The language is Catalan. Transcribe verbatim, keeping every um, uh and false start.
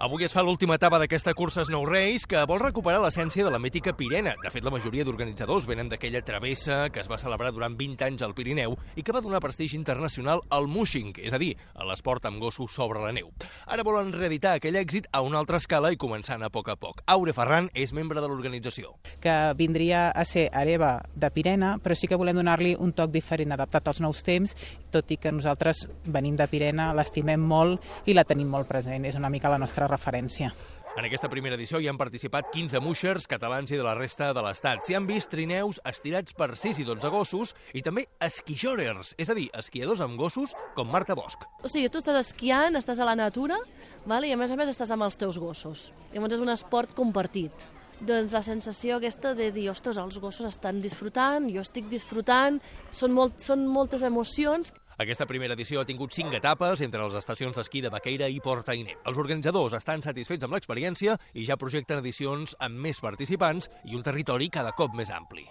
Avui es fa l'última etapa d'aquesta cursa Snow Race que vol recuperar l'essència de la mítica Pirena. De fet, la majoria d'organitzadors venen d'aquella travessa que es va celebrar durant vint anys al Pirineu i que va donar prestigi internacional al mushing, és a dir, a l'esport amb gossos sobre la neu. Ara volen reeditar aquell èxit a una altra escala i començant a poc a poc. Aure Ferran és membre de l'organització. Que vindria a ser hereva de Pirena, però sí que volem donar-li un toc diferent, adaptat als nous temps, tot i que nosaltres venim de Pirena, l'estimem molt i la tenim molt present. És una mica la nostra referència. En aquesta primera edició hi han participat quinze mushers catalans i de la resta de l'estat. S'hi han vist trineus estirats per sis i dotze gossos i també esquijorers, és a dir, esquiadors amb gossos com Marta Bosch. O sigui, tu estàs esquiant, estàs a la natura, vale? I a més a més estàs amb els teus gossos. Llavors és un esport compartit. Doncs la sensació aquesta de dir, ostres, els gossos estan disfrutant, jo estic disfrutant, són, molt, són moltes emocions. Aquesta primera edició ha tingut cinc etapes entre les estacions d'esquí de Baqueira i Port Ainé. Els organitzadors estan satisfets amb l'experiència i ja projecten edicions amb més participants i un territori cada cop més ampli.